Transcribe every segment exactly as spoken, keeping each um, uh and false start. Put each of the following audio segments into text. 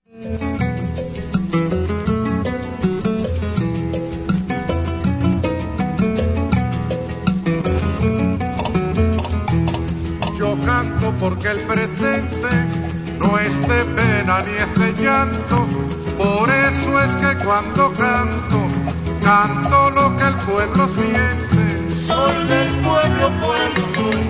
Yo canto porque el presente no es de pena ni es de llanto, por eso es que cuando canto, canto lo que el pueblo siente. Soy del pueblo, pueblo soy,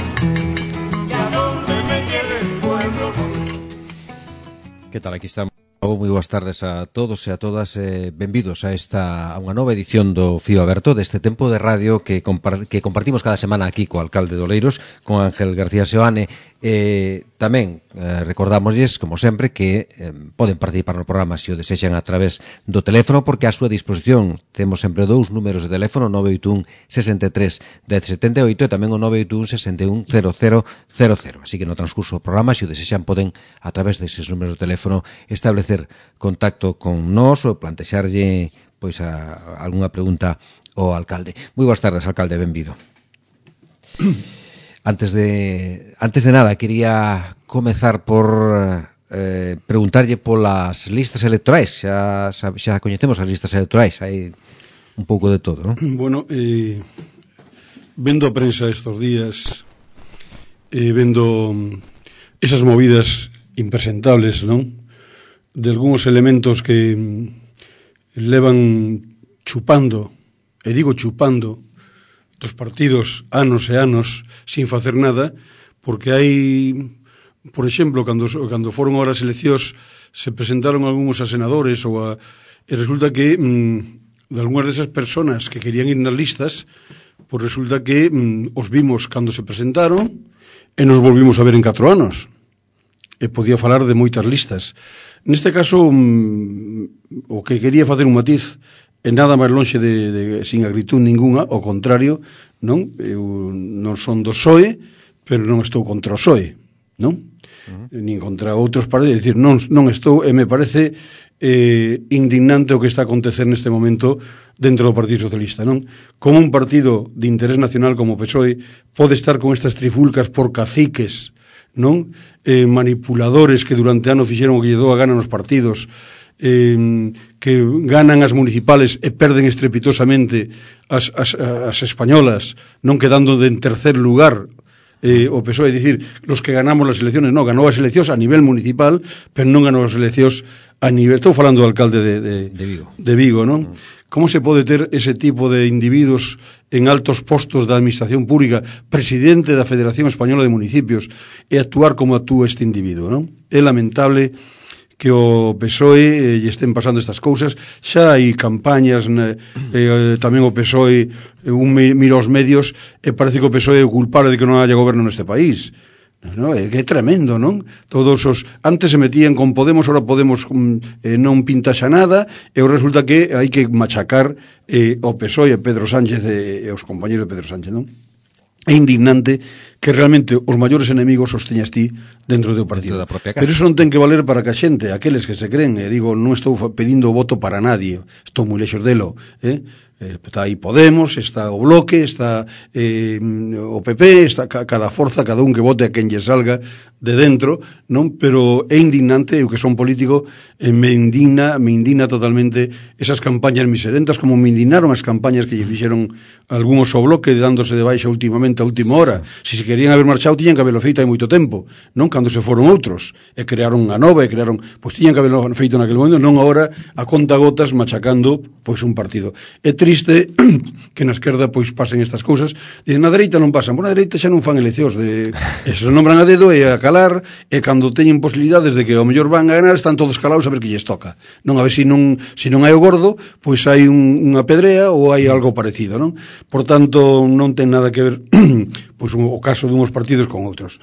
y a donde me lleve el pueblo voy. Que tal, aquí estamos. Moi boas tardes a todos e a todas, eh, benvidos a esta a unha nova edición do Fío Aberto, deste tempo de radio que, compar, que compartimos cada semana aquí co alcalde de Oleiros, con Ángel García Seoane. Eh, tamén eh, recordamosles, como sempre, que eh, poden participar no programa se o desexan a través do teléfono, porque a súa disposición temos sempre dous números de teléfono, nove oito un, sesenta e tres, dez setenta e oito, e tamén o nove oito un, sesenta e un, cero cero cero cero. Así que no transcurso do programa, se o desexan, poden a través deses números de teléfono establecer contacto con nós ou plantexarlle pois a, a algunha pregunta ao alcalde. Moi boas tardes, alcalde, benvido. Antes de antes de nada, quería comezar por eh, preguntarlle polas listas electorais. Xa, xa, xa coñecemos as listas electorais, hai un pouco de todo, non? Bueno, eh, vendo a prensa estos días, eh, vendo esas movidas impresentables, non? De algúns elementos que levan chupando, e digo chupando, dos partidos anos e anos sin facer nada, porque hai, por exemplo, cando, cando foron ahora as eleccións, se presentaron algúns a senadores ou a, e resulta que mm, de algunhas desas personas que querían ir nas listas, pois resulta que mm, os vimos cando se presentaron e nos volvimos a ver en catro anos, e podía falar de moitas listas. Neste caso, mm, o que quería facer un matiz é nada máis lonxe de, de sin acritud ninguna, ao contrario, non? Eu non son do P S O E, pero non estou contra o P S O E, non? Uh-huh. Nin contra outros partidos, é dicir, non, non estou, e me parece eh, indignante o que está a acontecer neste momento dentro do Partido Socialista, non? Como un partido de interés nacional como o P S O E pode estar con estas trifulcas por caciques, non? Eh, manipuladores que durante ano fixeron o que lle dou a gana nos partidos, eh, que ganan as municipales e perden estrepitosamente as, as, as españolas, non quedando de en tercer lugar eh, o P S O E, é dicir, los que ganamos las elecciones, non, ganou as eleccións a nivel municipal, pero non ganou as eleccións a nivel, estou falando do alcalde de, de, de Vigo, de Vigo, non? Mm. Como se pode ter ese tipo de individuos en altos postos da administración pública, presidente da Federación Española de Municipios, e actuar como actúa este individuo, non? É lamentable que o P S O E lle estén pasando estas cousas. Xa hai campañas, eh, tamén o P S O E, un mira os medios, e parece que o P S O E é o culpable de que non haya goberno neste país. No, é que é tremendo, non? Todos os antes se metían con Podemos, ahora Podemos eh, non pinta xa nada, e resulta que hai que machacar eh, o P S O E e Pedro Sánchez e, e os compañeros de Pedro Sánchez, non? É indignante que realmente os maiores enemigos os teñas ti dentro do partido. Pero iso non ten que valer para que a xente, aqueles que se creen, e digo, non estou pedindo voto para nadie, estou moi lexos delo, eh? Está aí Podemos, está o Bloque, está eh, o P P, está cada forza, cada un que vote a quen lle salga de dentro, non? Pero é indignante, eu que son político, eh, me indigna, me indigna totalmente esas campañas miserentas, como me indignaron as campañas que lle fixeron algúns ao Bloque, dándose de baixa últimamente a última hora. Si se querían haber marchado, tiñan que haberlo feito hai moito tempo, non? Cando se foron outros, e crearon unha nova, e crearon, pois tiñan que haberlo feito naquele momento, non agora a conta gotas machacando pois un partido. É triste que na esquerda pois pasen estas cousas. Dicen, na dereita non pasan, por na dereita xa non fan eleccións, de, e se nombran a dedo e a calar, e cando teñen posibilidades de que ao mellor van a ganar, están todos calados a ver que lles toca, non? A ver se non, se non hai o gordo, pois hai un, unha pedrea ou hai algo parecido, non? Por tanto, non ten nada que ver pois o caso dunhos partidos con outros.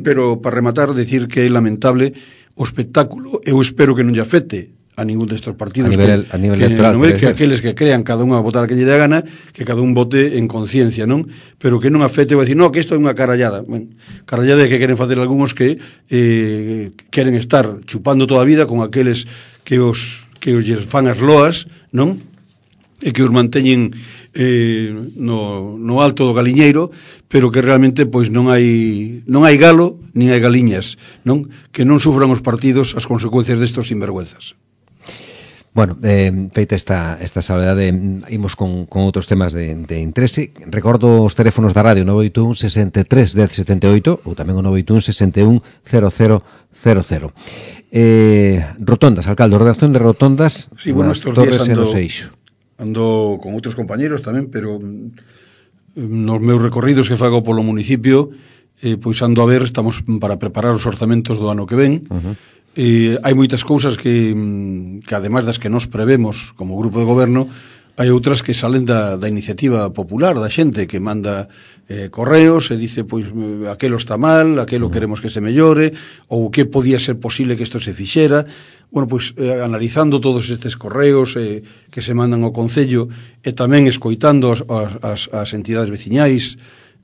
Pero para rematar, decir que é lamentable o espectáculo, eu espero que non lle afecte a ningún destes partidos, a nivel, que, a nivel que, electoral, non é que aqueles que crean cada un a votar a que lle dé a gana, que cada un vote en conciencia, non? Pero que non afecte, vai dicir, no, que isto é unha carallada. Bueno, carallada é que queren facer algúns que eh, queren estar chupando toda a vida con aqueles que os que os fan as loas, non? E que os manteñen eh, no, no alto do Galiñeiro, pero que realmente pois non hai non hai galo nin hai galiñas, non? Que non sufran os partidos as consecuencias destos sinvergüenzas. Bueno, eh, feita esta, esta salvedade, imos con, con outros temas de, de interese. Recordo os teléfonos da radio nove oito un, sesenta e tres, dez, setenta e oito ou tamén o nove oito un, sesenta e un, cero cero cero cero. Eh, rotondas, alcalde, ordenación de rotondas sí, bueno, nas Torres e no ando, Seixo. Ando con outros compañeros tamén, pero nos meus recorridos que fago polo municipio, eh, pois ando a ver, estamos para preparar os orzamentos do ano que ven. Uh-huh. Eh, hai moitas cousas que, que ademais das que nos prevemos como grupo de goberno, hai outras que salen da, da iniciativa popular, da xente que manda eh, correos e dice, pois, aquelo está mal, aquelo uh-huh. queremos que se mellore, ou que podía ser posible que isto se fixera. Bueno, pois, eh, analizando todos estes correos eh, que se mandan ao Concello e tamén escoitando as, as, as entidades veciñais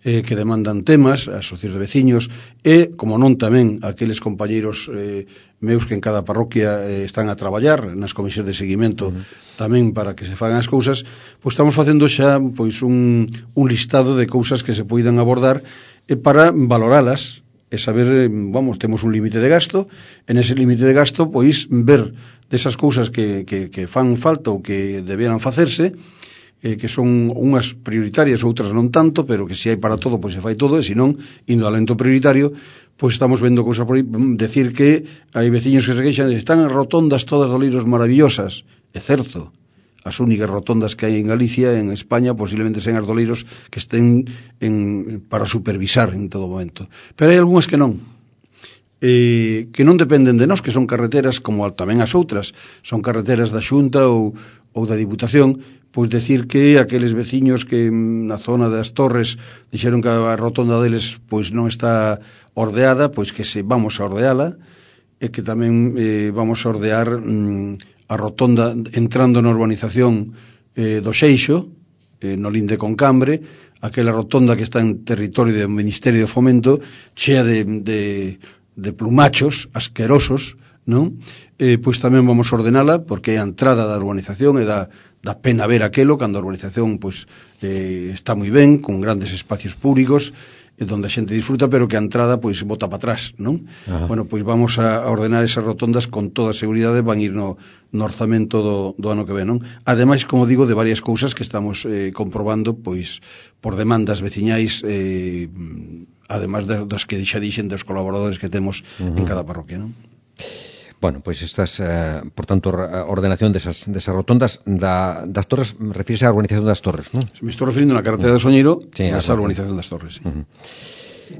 eh, que demandan temas, as asociacións de veciños, e, como non, tamén aqueles compañeiros eh, meus que en cada parroquia eh, están a traballar nas comisións de seguimento uh-huh. tamén para que se fagan as cousas, pois estamos facendo xa pois un, un listado de cousas que se poidan abordar e para valoralas e saber, vamos, temos un límite de gasto, en ese límite de gasto pois ver desas cousas que, que, que fan falta ou que debieran facerse, eh, que son unhas prioritarias, outras non tanto, pero que se hai para todo, pois se fai todo, e se non, indo ao lento prioritario, pois estamos vendo cousas por aí, decir que hai veciños que se queixan, están as rotondas todas de Oleiros maravillosas. É certo, as únicas rotondas que hai en Galicia, en España, posiblemente sean as de Oleiros que estén en, para supervisar en todo momento. Pero hai algunhas que non. Eh, que non dependen de nós, que son carreteras como tamén as outras, son carreteras da Xunta ou, ou da Diputación, pois decir que aqueles veciños que na zona das Torres dixeron que a rotonda deles pois non está ordeada, pois que se vamos a ordeala, e que tamén eh, vamos a ordear mm, a rotonda entrando na urbanización eh, do Seixo, eh, no linde con Cambre, aquela rotonda que está en territorio do Ministerio de Fomento, chea de, de, de plumachos asquerosos, non? Eh, pois tamén vamos a ordenala, porque é a entrada da urbanización e da, da pena ver aquelo, cando a urbanización pois, eh, está moi ben, con grandes espacios públicos, donde a xente disfruta, pero que a entrada pois bota para atrás, non? Ajá. Bueno, pois vamos a ordenar esas rotondas con toda a seguridade, van ir no, no orzamento do, do ano que ven, non? Ademais, como digo, de varias cousas que estamos eh, comprobando, pois, por demandas veciñais, eh, ademais das que xa dixen dos colaboradores que temos uh-huh. en cada parroquia, non? Bueno, pois estas, eh, por tanto, ordenación desas, desas rotondas da, das Torres, refírese á urbanización das Torres, non? Me estou referindo na carretera uh-huh. de Soñeiro, sí, a esa urbanización das Torres. Sí. Uh-huh.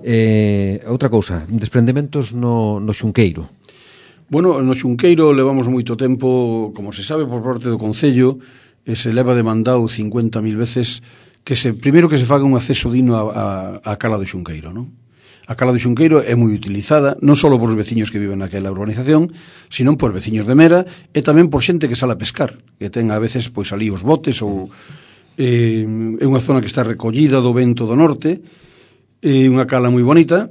Eh, outra cousa, desprendementos no, no Xunqueiro. Bueno, no Xunqueiro levamos moito tempo, como se sabe por parte do Concello, e se leva demandado cincuenta mil veces que se, primeiro que se faga un acceso digno a, a, a cala do Xunqueiro, non? A cala do Xunqueiro é moi utilizada non só por os veciños que viven naquela urbanización, sino por veciños de Mera e tamén por xente que sale a pescar, que ten a veces pois ali os botes ou eh, é unha zona que está recollida do vento do norte, é unha cala moi bonita,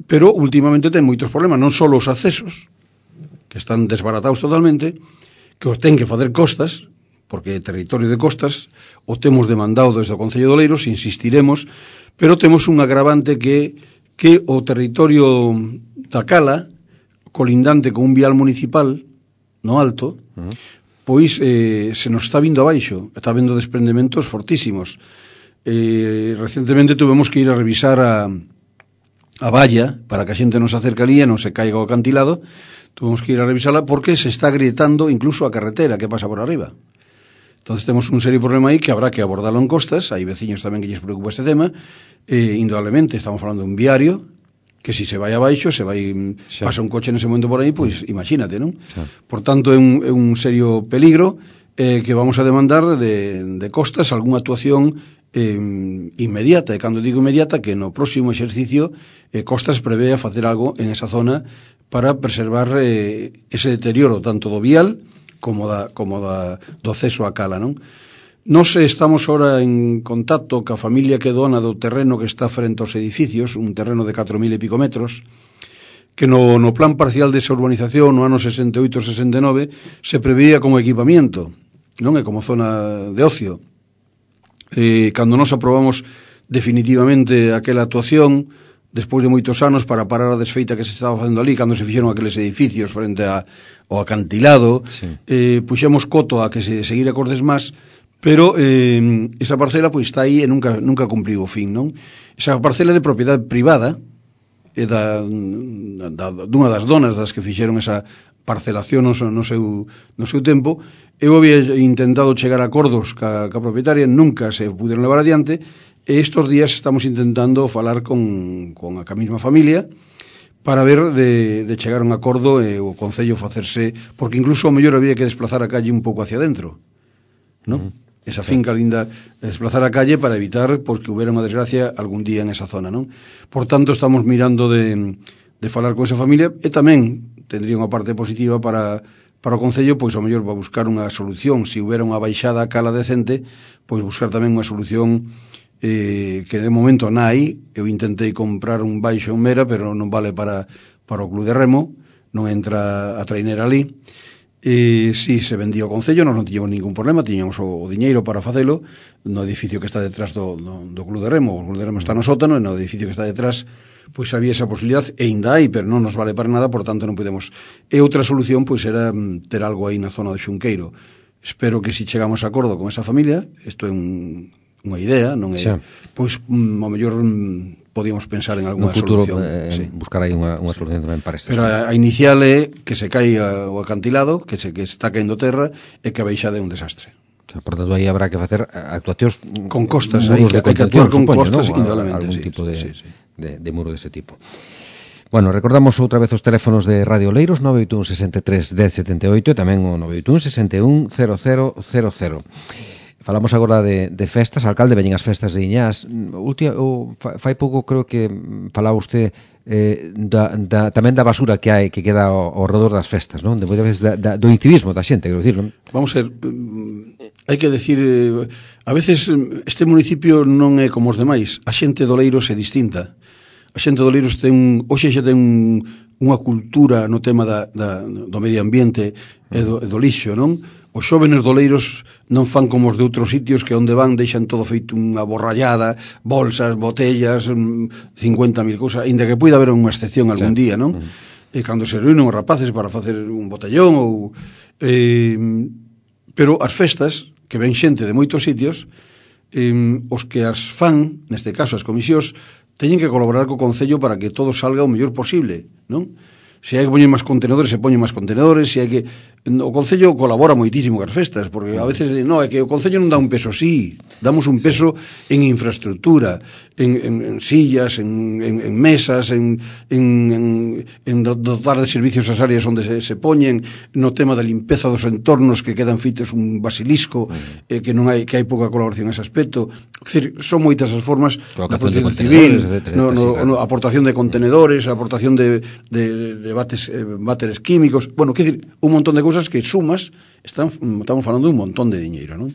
pero últimamente ten moitos problemas, non só os accesos, que están desbaratados totalmente, que os ten que facer costas, porque é territorio de costas, o temos demandado desde o Concello de Oleiros, insistiremos, pero temos un agravante que que o territorio da cala, colindante con un vial municipal no alto, uh-huh. pois eh, se nos está vindo abaixo, está vendo desprendementos fortísimos. Eh, recentemente tuvemos que ir a revisar a, a valla para que a xente non se acerque ali e non se caiga o acantilado. Tuvemos que ir a revisarla porque se está agrietando incluso a carretera que pasa por arriba. Entonces temos un serio problema aí que habrá que abordarlo en costas. Hai veciños tamén que lles preocupa este tema. Eh, indudablemente estamos falando de un viario que si se vai abaixo, se vai xa. Pasa un coche nese momento por aí, pois imagínate, non? Xa. Por tanto, é un, é un serio peligro eh, que vamos a demandar de, de costas algunha actuación eh, inmediata, e cando digo inmediata, que no próximo exercicio eh, Costas prevé a facer algo en esa zona para preservar eh, ese deterioro tanto do vial como da, como da, do acceso á cala, non? Nos estamos ahora en contacto ca familia que dona do terreno que está frente aos edificios, un terreno de catro mil e pico metros, que no, no plan parcial desa urbanización no ano sesenta e oito sesenta e nove se preveía como equipamiento, non é como zona de ocio. eh, cando nos aprobamos definitivamente aquela actuación, despois de moitos anos, para parar a desfeita que se estaba facendo ali, cando se fixeron aqueles edificios frente a, ao acantilado, sí. eh, puxemos coto a que se seguira Cordes Más, pero eh, esa parcela pois está aí e nunca, nunca cumpriu o fin, non? Esa parcela de propiedade privada, é da, da, dunha das donas das que fixeron esa parcelación no, no, seu, no seu tempo. Eu había intentado chegar a acordos ca, ca propietaria, nunca se puderon levar adiante, e estes días estamos intentando falar con, con a mesma familia para ver de, de chegar a un acordo e o Concello facerse, porque incluso ao mellor había que desplazar a calle un pouco hacia dentro, non? Uh-huh. Esa finca linda, desplazar a calle para evitar porque hubiera unha desgracia algún día en esa zona, non? Por tanto, estamos mirando de, de falar con esa familia e tamén tendría unha parte positiva para, para o Concello, pois ao mellor para buscar unha solución, se hubiera unha baixada a cala decente, pois buscar tamén unha solución eh, que de momento non hai. Eu intentei comprar un baixo en Mera, pero non vale para, para o Club de Remo, non entra a trainera ali. E si se vendía o Concello, nós non tiñamos ningún problema, tiñamos o, o diñeiro para facelo no edificio que está detrás do, do, do Club de Remo. O Club de Remo está no sótano e no edificio que está detrás pois había esa posibilidad e ainda hai, pero non nos vale para nada, por tanto non podemos. E outra solución pois era ter algo aí na zona do Xunqueiro. Espero que si chegamos a acordo con esa familia, isto é un, unha idea, non é, sí. Pois ao mellor podíamos pensar en alguna futuro, solución. Eh, sí. Buscar aí unha, unha solución tamén para este. Pero a, a inicial é que se caiga o acantilado, que se que está caendo terra e que a baixada é un desastre. O sea, por tanto, aí habrá que facer actuacións con costas, hai que, hai que actuar con supoño, costas, ¿no? Indudablemente. Algún sí, tipo de, sí, sí. De, de muro dese tipo. Bueno, recordamos outra vez os teléfonos de Radio Oleiros, nove oito un, seis tres, dez, setenta e oito e tamén o nove oito un, seis un, cero cero cero cero. Falamos agora de, de festas, alcalde, veñen as festas de Iñás. Ultima, o, fai pouco creo que falaba usted eh, da, da, tamén da basura que hai, que queda ao, ao redor das festas, non? De moitas veces da, da, do incivismo da xente, quero dicir, non? Vamos a ver, hai que decir, eh, a veces este municipio non é como os demais, a xente de Oleiros é distinta. A xente de Oleiros ten, hoxe xa ten un, unha cultura no tema da, da, do medio ambiente e do, e do lixo, non? Os xóvenes doleiros non fan como os de outros sitios que onde van deixan todo feito unha borrallada, bolsas, botellas, cincuenta mil cousas, ainda que poida haber unha excepción algún sí. día, non? Uh-huh. E cando se reúnen os rapaces para facer un botellón ou... Eh, pero as festas, que ven xente de moitos sitios, eh, os que as fan, neste caso as comisións, teñen que colaborar co Concello para que todo salga o mellor posible, non? Se hai que poñer máis contenedores, se poñen máis contenedores, se hai que... O Concello colabora moitísimo cas festas, porque a veces, no, é que o Concello non dá un peso, sí, damos un peso en infraestructura, en, en, en sillas, en, en, en mesas, en, en, en dotar de servicios as áreas onde se, se poñen, no tema da limpeza dos entornos que quedan feitos un basilisco, eh, que non hai que hai pouca colaboración nese aspecto. É dicir, son moitas as formas da protección civil, no, no, no, aportación de contenedores, aportación de, de, de bates, eh, váteres químicos, bueno, quer dicir, un montón de cousas que sumas, están, estamos falando de un montón de diñeiro, non?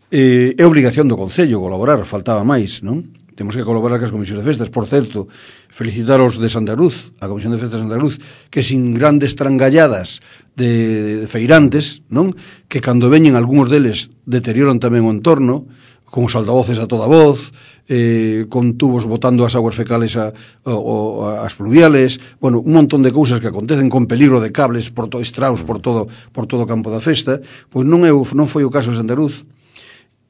Eh, é obrigación do Concello colaborar, faltaba máis, non? Temos que colaborar cas comisións de festas. Por certo, felicitar os de Santa Cruz, a Comisión de Festas de Santa Cruz, que sin grandes trangalladas de, de feirantes, non? Que cando veñen algúns deles deterioran tamén o entorno, con os altavoces a toda voz, eh, con tubos botando as aguas fecales a, a, a, as pluviales, bueno, un montón de cousas que acontecen con peligro de cables por todo estraus por todo por todo o campo da festa, pois non é non foi o caso de Santa Cruz.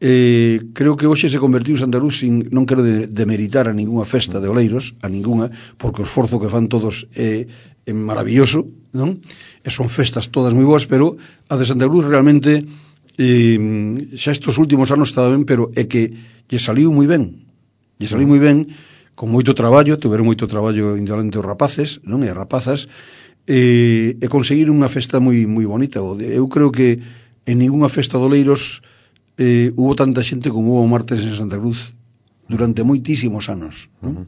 Eh, creo que hoxe se convertiu Santa Cruz sin, non quero de, demeritar a ninguna festa de Oleiros, a ninguna, porque o esforzo que fan todos é, é maravilloso, non? E son festas todas moi boas, pero a de Santa Cruz realmente eh, xa estes últimos anos estaba ben, pero é que lle saliu moi ben, lle saliu moi ben, con moito traballo, tiveron moito traballo indolente os rapaces, non? E as rapazas, e, e conseguir unha festa moi moi bonita. Eu creo que en ninguna festa de Oleiros eh, hubo tanta xente como hubo martes en Santa Cruz durante moitísimos anos, non? Uh-huh.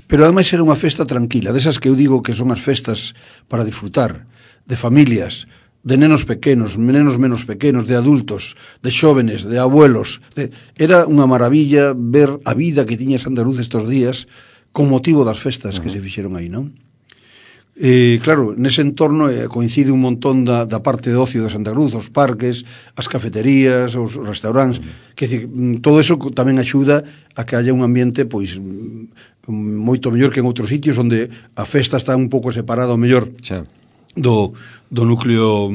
Pero ademais era unha festa tranquila, desas que eu digo que son as festas para disfrutar, de familias, de nenos pequenos, nenos menos pequenos, de adultos, de xóvenes, de abuelos. De... Era unha maravilla ver a vida que tiña Santa Cruz estes días con motivo das festas uh-huh. que se fixeron aí, non? Eh, claro, nese entorno eh, coincide un montón da, da parte de ocio de Santa Cruz, os parques, as cafeterías, os restaurantes, mm. que decir, todo eso tamén axuda a que haya un ambiente pois moito mellor que en outros sitios onde a festa está un pouco separada ao mellor xa. do, do núcleo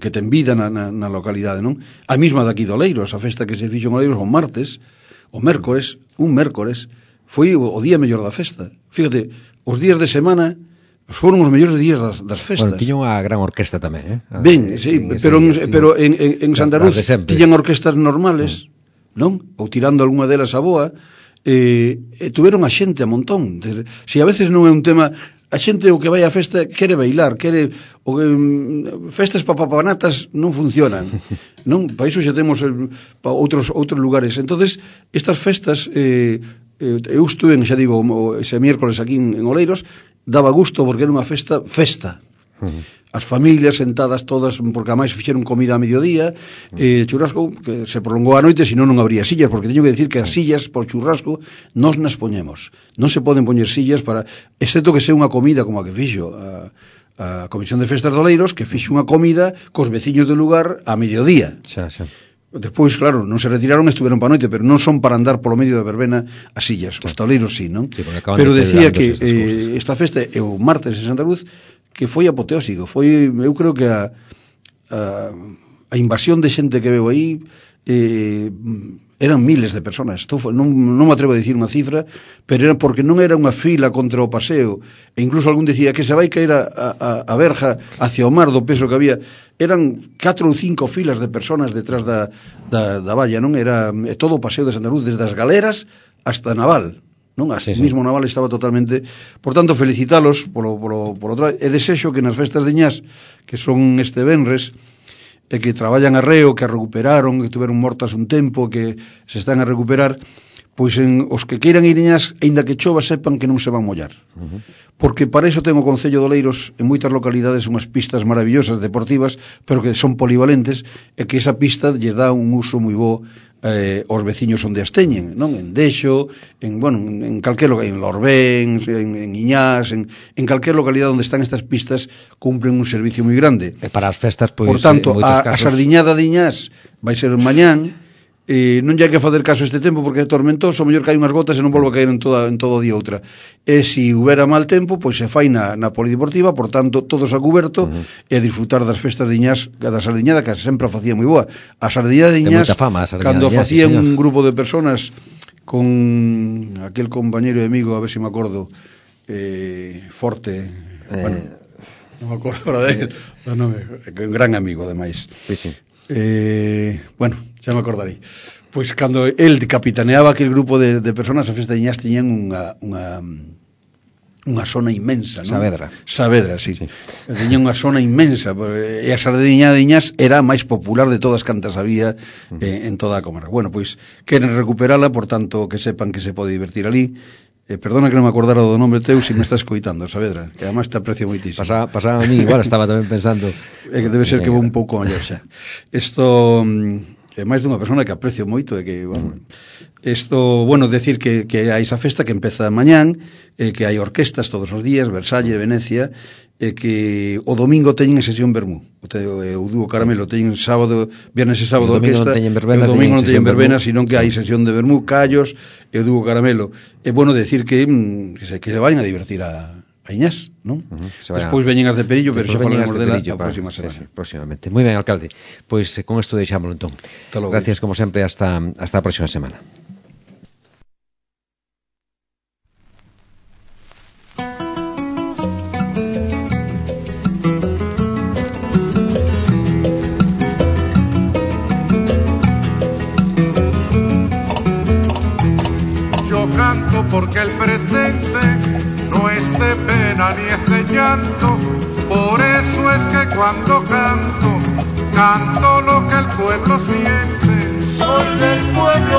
que ten vida na, na, na localidade, non? A mesma daqui de Oleiros, a festa que se fixo en Oleiros o martes, o mércores, un mércores, foi o, o día mellor da festa. Fíjate, os días de semana foron os mellores días das, das festas. Bueno, tiña unha gran orquesta tamén, eh? Ben, sí, en pero, en, pero en, en, en Santa Cruz tiñan orquestas normales, mm. non? Ou tirando algunha delas a boa, eh, e tuveron a xente a montón. Si a veces non é un tema, a xente o que vai á festa quere bailar, quere o que um, festas papapanatas non funcionan, non? Para iso xa temos el, pa outros outros lugares. Entonces, estas festas eh, eu estuve, xa digo, ese miércoles aquí en, en Oleiros, daba gusto porque era unha festa, festa. Uh-huh. As familias sentadas todas, porque ademais fixeron comida a mediodía, uh-huh. eh, churrasco, que se prolongou a noite, senón non habría sillas, porque teño que decir que as sillas por churrasco nos nas poñemos. Non se poden poñer sillas para, excepto que sea unha comida como a que fixo a, a Comisión de Festas de Oleiros, que fixo unha comida cos veciños do lugar a mediodía. Xa, xa. Despois, claro, non se retiraron, estuveron para a noite, pero non son para andar polo medio da verbena as sillas. Os taleiros sí, non? Sí, pero decía que eh, esta festa é o martes en Santa Cruz, que foi apoteósico. Foi, eu creo que a, a, a invasión de xente que veo aí eh, eran miles de personas. Estou, non, non me atrevo a dicir unha cifra, pero era porque non era unha fila contra o paseo, e incluso algún decía que se vai caer a, a, a verja hacia o mar do peso que había. Eran catro ou cinco filas de personas detrás da, da, da valla, non? Era todo o paseo de Santa Cruz, desde as galeras hasta Naval, non? Hasta sí, sí. Mismo Naval estaba totalmente... Por tanto, felicitalos polo, polo, polo traballo, e desexo que nas festas de Iñás, que son este venres, e que traballan arreo, que a recuperaron, que tuveron mortas un tempo, que se están a recuperar, pois en os que queiran ir Iñás, aínda que chova, sepan que non se van mollar. Uh-huh. Porque para iso ten o Concello de Oleiros en moitas localidades unhas pistas maravillosas, deportivas, pero que son polivalentes, e que esa pista lle dá un uso moi bo eh, aos veciños onde as teñen, non? En Dexo, en, bueno, en calquer lugar, en Lorbén, en, en Iñás, en, en calquer localidade onde están estas pistas, cumplen un servicio moi grande. E para as festas, pois, por tanto, a, casos... a sardiñada de Iñás vai ser mañán. Eh, non lle hai que facer caso este tempo porque é tormentoso, o mellor cae unhas gotas e non volve a caer en, toda, en todo o día outra. E se houbera mal tempo, pois se fai na, na polideportiva, por tanto, todos a cuberto, uh-huh. e a disfrutar das festas de Iñás, da sardiñada, que sempre a facía moi boa. A sardiñada de Iñás, fama, a cando facía sí, un grupo de personas con aquel compañero e amigo, a ver se me acordo, eh, Forte, eh... bueno, non me acordo ahora de él, no, no, un gran amigo, ademais. Sí, sí. Eh, bueno, xa me acordarei. Pois cando el capitaneaba aquel grupo de, de personas, a festa de Iñás tiñan unha, unha, unha zona inmensa, non? Saavedra. Saavedra, sí. sí. Tiñan unha zona inmensa, e a sardiñada de Iñás era a máis popular de todas cantas había eh, en toda a comarca. Bueno, pois queren recuperala, por tanto, que sepan que se pode divertir ali. Eh, perdona que non me acordara do nome teu, se me estás coitando, Saavedra, que además te aprecio moitísimo. Pasaba, pasaba a mí, igual estaba tamén pensando. É que debe ser que vou un pouco mellor xa. Isto é máis dunha persona que aprecio moito, e que, bueno, isto, bueno, decir que, que hai esa festa que empeza mañán, eh, que hai orquestas todos os días, Versalles, Venecia, e que o domingo teñen sesión vermú. O, te, o dúo Caramelo teñen sábado, viernes e sábado orquesta, e o domingo non teñen verbena, sino que hai sesión de vermú, callos, e o dúo Caramelo. É bueno decir que, que se, que se vayan a divertir a, a Iñás, non? Uh-huh, despois veñen as de Perillo, pero xa falamos dela a próxima semana. Sí, sí, próximamente. Moi ben, alcalde. Pois pues, con isto deixámoslo entón. Gracias, como sempre, hasta, hasta a próxima semana. Canto porque el presente no es de pena ni es de llanto, por eso es que cuando canto, canto lo que el pueblo siente. Soy del pueblo